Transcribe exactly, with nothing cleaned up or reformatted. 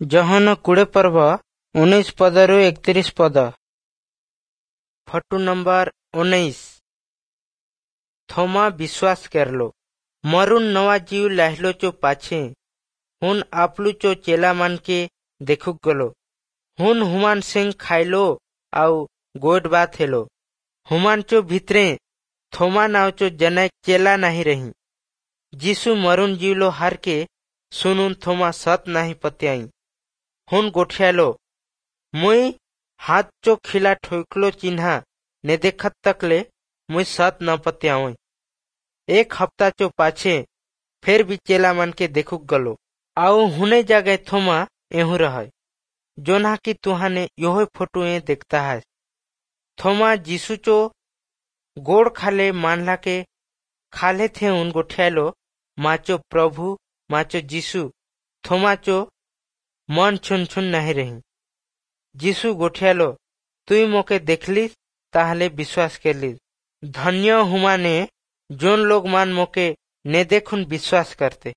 ଯୋହନ କୁଡ଼େ ପର୍ବ ଉଣେଇଶ ପଦରୁ ଏକତିରିଶ ପଦ। ଫଟୁ ନମ୍ବର ଉଣେଇଶ। ଥୋମା ବିଶ୍ୱାସ करलो। मरुन नवा जीव लाहलो चो पाछे हुन आपलू चो चेला मान के देखुक गलो। हुन हुमान सिंह खाइलो आउ गोड बात हेलो। हुमान चो भीतरे थोमा नाव चो जनक चेला नहीं रही। जीसु मरुन जीवलो हार के सुनुन थोमा सत नहीं पत्याई। हुन गोठियालो, मुई हाथ चो खिला ठोकलो चिन्हा ने देखत तकले मुई सत न पत्यावई। एक हफ्ता चो पाछे फिर भी चेला मन के देखुक गलो आउ हुने जगह थोमा एहू रहे, जोना की तुहाने योह फोटो ए देखता है। थोमा जीसु चो गोड़ खाले मानला के खाले थे उन गोठियालो, माचो प्रभु माचो जीसु। थोमा चो मन छुन छुन नहीं रही। जीसु गोठियालो, तुई मोके देखलिस ताहले विश्वास करलिस। धन्य हुमाने जोन लोग मान मोके ने देखुन विश्वास करते।